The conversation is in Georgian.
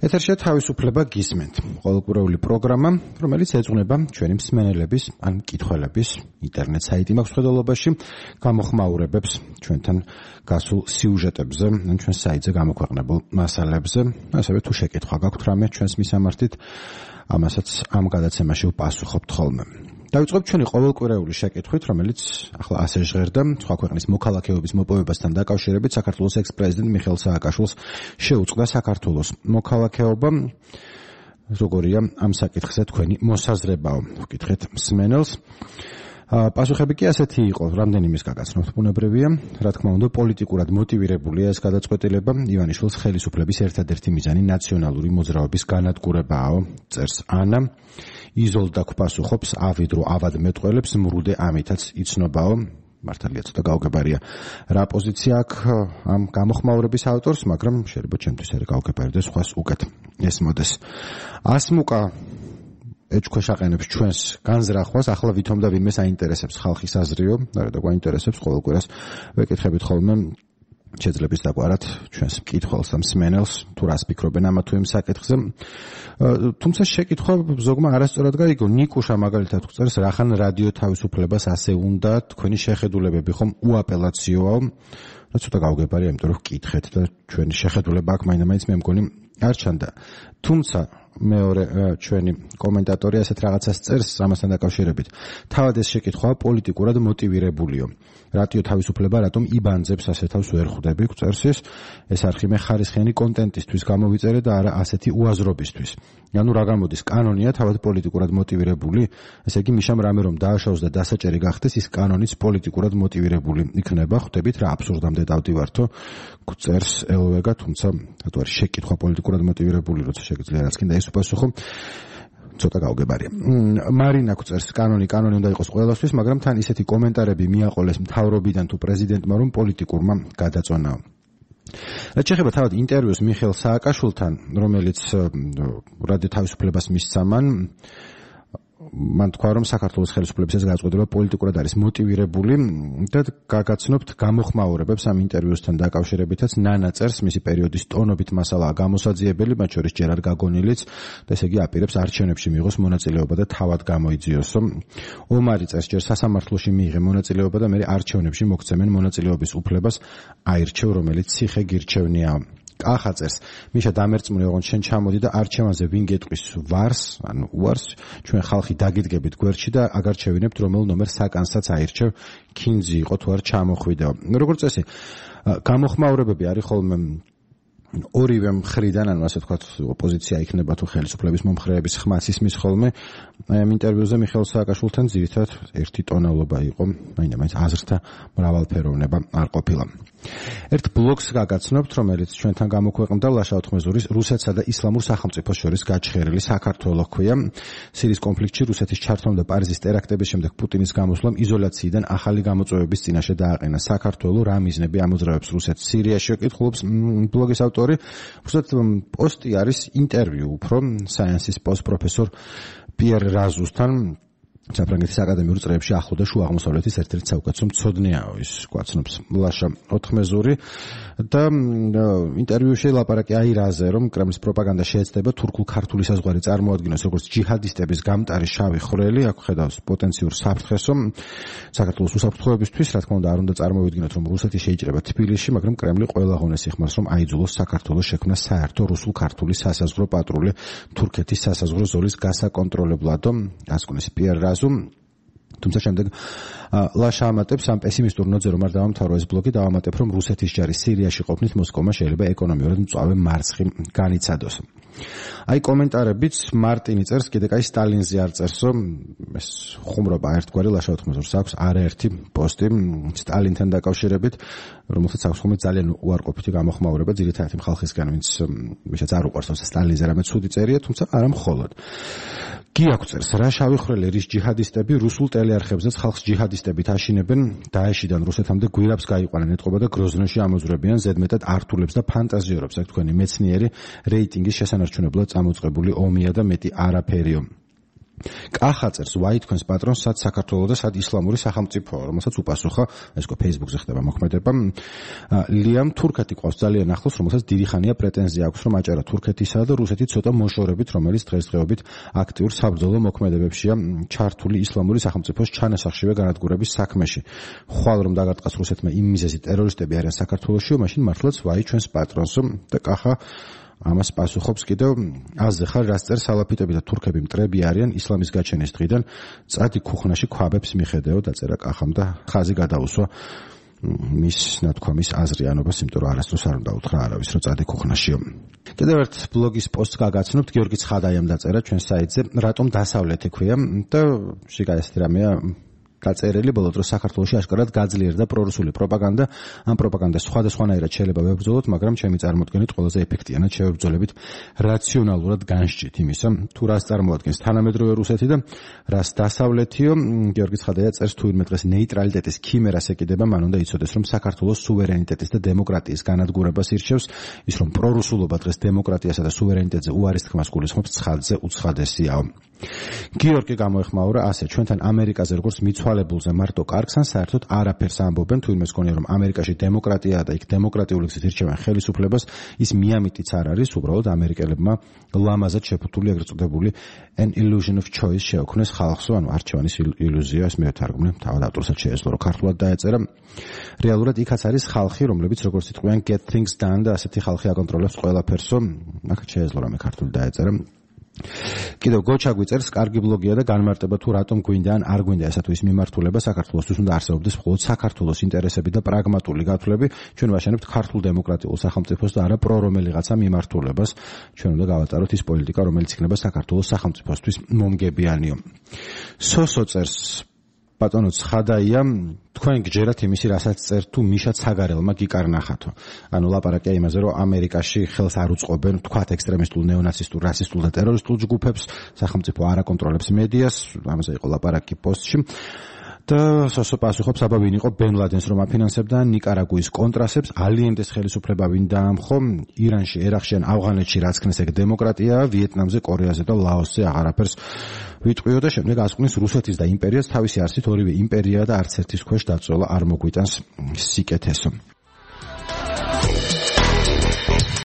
ეთერშია თავისუფლება გისმენთ. ყოველკვირეული პროგრამა, რომელიც ეძღვნება ჩვენი მსმენელების ან მკითხველების ინტერნეტ საიტი მაქვს ხედველობაში, გამოხმაურებებს ჩვენთან გასულ სიუჟეტებზე, ან ჩვენ საიტზე გამოქვეყნებულ მასალებზე, ასევე თუ შეკითხვა გაქვთ რამე ჩვენს მისამართით, ამასაც ამ გადაცემაში ვპასუხობთ ხოლმე. დავიწყებთ ჩვენი ყოველკვირეული შეკითხვით, რომელიც ახლა ასე ჟღერდა, სხვა ქვეყნის მოქალაქეობის მოპოვებასთან დაკავშირებით საქართველოს ექს-პრეზიდენტ მიხეილ სააკაშვილს შეუწყდა საქართველოს მოქალაქეობა. როგორია ამ საკითხზე თქვენი მოსაზრებაო? ვკითხეთ მსმენელს. პასუხები კი ასეთი იყო, რამდენიმე გაგაცნობთ, ბუნებრივია, რა თქმა უნდა, პოლიტიკურად მოტივირებულია ეს გადაწყვეტილება. ივანიშვილის ხელისუფლების ერთადერთი მიზანი ნაციონალური მოძრაობის განადგურებაა, წერს ანა. იზოლდა გვპასუხობს, ავიდრო ავადმეტყველებს, მრუდე ამითაც იცნობაო. მართალია ცოტა გაუგებარია რა პოზიცია აქვს ამ გამოხმაურების ავტორს, მაგრამ შეიძლება ჩემთვის არ გაუგებარდეს, სხვას უკეთ ესმოდეს. ასმუკა ეჭქვეშაყენებს ჩვენს განზრახვას, ახლა ვითომ და ვინმე საინტერესებს ხალხის აზრიო, და გვაინტერესებს ყოველ კვირას ვეკითხებით ხოლმე შეძლებს დაგვარად ჩვენს მკითხველს და მსმენელს, თუ რას ფიქრობენ ამა თუ იმ საკითხზე. თუმცა შეკითხვა ზოგმა არასწორად გაიგო. ნიკუშა მაგალითად წერს, რახან რადიო თავისუფლებას ასე უნდა, თქვენი შეხედულებები ხომ უაპელაციოა. რა ცოტა გაუგებარია, იმიტომ რომ ვკითხეთ და ჩვენი შეხედულება აქ მაინც მე მგონი არ ჩანდა. თუმცა მეორე ჩვენი კომენტატორი ასეთ რაღაცას წერს ამასთან დაკავშირებით. თავად ეს შეკითხვა პოლიტიკურად მოტივირებულიო. რადიო თავისუფლება რატომ იბანძებს ასე თავს ვერ ხვდები, წერს ეს არხი მე ხარისხიანი კონტენტისთვის გამოვიწერე და არა ასეთი უაზრობისთვის. ანუ რა გამოდის, კანონია თავად პოლიტიკურად მოტივირებული, ესე იგი მიშამ რამე რომ დააშავს და დასაჭერი გახდეს, ის კანონიც პოლიტიკურად მოტივირებული იქნება. ხვდებით რა აბსურდამდე დავდივართო, წერს ელვეგა, თუმცა რატო არის შეკითხვა პოლიტიკურად მოტივირებული, როცა შეგიძლია რაც კიდე ეს უპასუხო. ცოტა გაუგებარია. მარინა წერს, კანონი უნდა იყოს ყველასთვის, მაგრამ თან ისეთი კომენტარები მიაყოლეს მთავრობიდან თუ პრეზიდენტმა, რომ პოლიტიკურმა გადაწონაო. რაც შეეხება თავად ინტერვიუს მიხეილ სააკაშვილთან, რომელიც რადიო თავისუფლებას მისცა მან თქვა, რომ საქართველოს ხელისუფლების ეს გადაწყვეტილება პოლიტიკურად არის მოტივირებული და გაგაცნობთ გამოხმაურებებს ამ ინტერვიუსთან დაკავშირებითაც. ნანა წერს, მისი პერიოდის ტონობით მასალაა გამოსაძიებელი, მათ შორის ჯერ არ გაგონილიც და ესე იგი აპირებს არჩევნებში მიიღოს მონაწილეობა და თავად გამოიძიოსო. ომარი წერს, ჯერ სასამართლოში მიიღე მონაწილეობა და მე არჩევნებში მოგცემენ მონაწილეობის უფლებას აირჩევ, რომელიც ციხე გირჩევნია. კახა წერს, მიშა დამერწმუნე, ოღონდ შენ ჩამოდი და არჩევანზე ვინ გეტყვის ვარს, ანუ უარს, ჩვენ ხალხი დაგიდგებით გვერდში და აგარ შევინებთ რომელ ნომერ საკანსაც აირჩევ, კინძი იყო თუ არ ჩამოხვიდაო. როგორც წესი, გამოხმაურებები არის ხოლმე ორივე მხრიდან, ანუ ასე ვთქვათ, ოპოზიცია იქნება თუ ხელისუფლების მომხრეების ხმას ისმის ხოლმე. ამ ინტერვიუზე მიხეილ სააკაშვილთან ძირითადად ერთი ტონალობა იყო, მაინც აზრთა მრავალფეროვნება არ ყოფილა. ერთ ბლოგს გაგაცნობთ, რომელიც ჩვენთან გამოქვეყნდა ლაშა ოთხმეზურის რუსეთსა და ისლამურ სახელმწიფოს შორის გაჩხერილი საქართველო ჰქვია. სირიის კონფლიქტში რუსეთის ჩართვამ და პარიზის ტერაქტების შემდეგ პუტინის გამოსვლამ იზოლაციიდან ახალი გამოწვევების წინაშე დააყენა საქართველო. რა მიზნები ამოძრავებს რუსეთს სირიაში, კითხულობს ბლოგის ავტორი. უბრალოდ პოსტი არის ინტერვიუ უფრო საიენსის პროფესორ პიერ რაზუსთან. საფრანგეთის აკადემიურ წრეებში ახლო და შუა აღმოსავლეთის ერთ-ერთი საუკეთესო მცოდნეაო, ის გვაცნობს ლაშა ოთხმეზური და ინტერვიუში ლაპარაკი აი რაზე, რომ კრემლის პროპაგანდა შეეცდება თურქულ-ქართული საზღვარი წარმოადგინოს როგორც ჯიჰადისტების გამტარი შავი ხვრელი, აქ ხედავს პოტენციურ საფრთხესო საქართველოს უსაფრთხოებისთვის, რა თქმა უნდა არ უნდა წარმოვიდგინოთ, რომ რუსეთი შეიჭრება თბილისში, მაგრამ კრემლი ყველა ღონეს იხმარს, რომ აიძულოს საქართველოს შექმნა საერთო რუსულ-ქართული სასაზღვრო პატრული თურქეთის სასაზღვრო ზოლის გასაკონტროლებლადო, ასკუნის პიერ თუმცა შემდეგ ლაშა ამატებს ამ პესიმისტურ ნოთზე რომ არ დავამთავრო ეს ბლოგი, დავამატებ რომ რუსეთის ჯარი სირიაში ყოფნით მოსკოვმა შეიძლება ეკონომიურად მწვავე მარცხი განიცადოს. აი კომენტარებიც მარტინი წერს, კიდე კაი სტალინზე არ წერსო, ეს ხუმრობა ერთგვარი ლაშა ოთხმეზურს აქვს არაერთი პოსტი სტალინთან დაკავშირებით, რომელსაც აქვს ხოლმე ძალიან უარყოფითი გამოხმაურება ძირითადად იმ ხალხისგან, ვისაც არ უყვარს სტალინზე რამე ცუდი წერია, თუმცა არა მხოლოდ. გიაქვს წერს, რა შავი ხვრელი რის ჯიჰადისტები რუსულ ტელეარხებზეც ხალხს ჯიჰადისტებით აშინებენ, დაეშიდან რუსეთამდე გვირაბს გაიყვანენ, ეტყობა და გროზნოში ამოძვრებიან, ზედმეტად ართულებს და ფანტაზიორებს, აქ თქვენი მეცნიერი რეიტინგის შესანარჩუნებლად წამოწყებული ომია და მეტი არაფერიო. კახაწერს ვაი თქვენს პატრონს სად საქართველოს და სად ისლამური სახელმწიფოა, რომელსაც უპასუხა, ეს ხო Facebook-ზე ხდება მოქმედება. ლიამ თურქეთი ყავს ძალიან ახლოს, რომელსაც დიდი ხანია პრეტენზია აქვს, რომ აჭარა თურქეთისა და რუსეთი ცოტა მოშორებით, რომელიც დღესდღეობით აქტიურ საბრძოლო მოქმედებებშია ჩართული ისლამური სახელმწიფოს ჩანასახშივე განადგურების საქმეში. ხვალ რომ დაგარტყას რუსეთმა იმ მიზეზი ტერორისტები არიან საქართველოში, მაშინ მართლაც ვაი ჩვენს პატრონს და კახა ამას პასუხობს კიდევ აზზე ხარ რაც წერ სალაფიტები და თურქები მტრები არიან ისლამის გაჩენის დღიდან წადი ქუხნაში ქვაბებს მიხედეო დაწერა კახამ და ხაზი გადაუსვა მის ნათქვამის აზრიანობას, იმიტომ რომ არასდროს არ უნდა უთხრა არავის რომ წადი ქუხნაშიო. კიდევ ერთ ბლოგის პოსტს გაგაცნობთ, გიორგი ცხადაიამ დაწერა ჩვენ საიტზე, რატომ დასავლეთი ქვია და შეგა ეს რამეა დაწერილი ბოლო დროს საქართველოში აშკარად გაძლიერდა პრორუსული პროპაგანდა. ამ პროპაგანდას სხვადასხვანაირად შეიძლება ვებრძოლოთ, მაგრამ ჩემი წარმოდგენით ყველაზე ეფექტიანად შევებრძოლებით რაციონალურად განსჭით იმისა, თუ რას წარმოადგენს თანამედროვე რუსეთი და რას დასავლეთიო. გიორგი ცხადაია წერს, თუ ვინმე დღეს ნეიტრალიტეტის ქიმერას ეკიდება, მან უნდა იცოდეს, რომ საქართველოს სუვერენიტეტის და დემოკრატიის განადგურებას ირჩევს, ის რომ პრორუსულობა დღეს დემოკრატიასა და სუვერენიტეტზე უარის თქმას გულისხმობს, ცხადზე უცხადესიაო. გიორგი გამოეხმაურა ასე, ჩვენთან ამერიკაზე როგორც მიცვალებულზე მარტო კარგს ან საერთოდ არაფერს ამბობენ, თუ იმეს გონია რომ ამერიკაში დემოკრატიაა და იქ დემოკრატიული გზით ირჩევენ ხელისუფლებას, ის მიამიტიც არ არის, უბრალოდ ამერიკელებმა ლამაზად შეფუთული ეგრეთ წოდებული an illusion of choice შეოქმნეს ხალხსო, ანუ არჩევანის ილუზია, ეს მევთარგმნე, თავად ავტორსაც შეეძლო რომ ქართულად დაეწერა. რეალურად იქაც არის ხალხი, რომლებიც როგორც იტყვიან get things done და ასეთი ხალხი აკონტროლებს ყველაფერსო, აქაც შეეძლო რომ ქართულად დაეწერა. კიდევ გოჩა გვიწერს, კარგი ბლოგია და განმარტება თუ რატომ გვინდა ან არ გვინდა ესა თუ ის მიმართულება საქართველოსთვის უნდა არსებობდეს მხოლოდ საქართველოს ინტერესები და პრაგმატული გათვლები. ჩვენ ვაშენებთ ქართულ დემოკრატიულ სახელმწიფოს და არა პრო რომელიღაცა მიმართულებას. ჩვენ უნდა გავატაროთ ის პოლიტიკა, რომელიც იქნება საქართველოს სახელმწიფოსთვის მომგებიანიო. სოსო წერს, ბატონო ცხადაია, თქვენ გჯერათ იმისი, რასაც წერთ თუ მიშა ცაგარელმა გიკარნახათო. ანუ ლაპარაკია იმაზე, რომ ამერიკაში ხელს არ უწყობენ, თქვათ ექსტრემისტულ, ნეონაცისტულ, რასისტულ და ტერორისტულ ჯგუფებს, სახელმწიფო არ აკონტროლებს მედიას, ამაზე იყო ლაპარაკი პოსტში. და სოსო პასუხობს, აბა ვინ იყო ბენ ლადენს რომ აფინანსებდა, ნიკარაგუის კონტრასებს, ალიენდეს ხელისუფლება ვინ დაამხო, ირანში, ერაყში ან ავღანეთში რაც ქნეს ეგ დემოკრატიაა, ვიეტნამზე, კორეაზე და ლაოსზე აღარაფერს ვიტყვიო და შემდეგ ასკვნის რუსეთის და იმპერიას თავისი არსით ორივე იმპერია და არც ერთის ქვეშ დაწოლა არ მოგვიტანს სიკეთესო.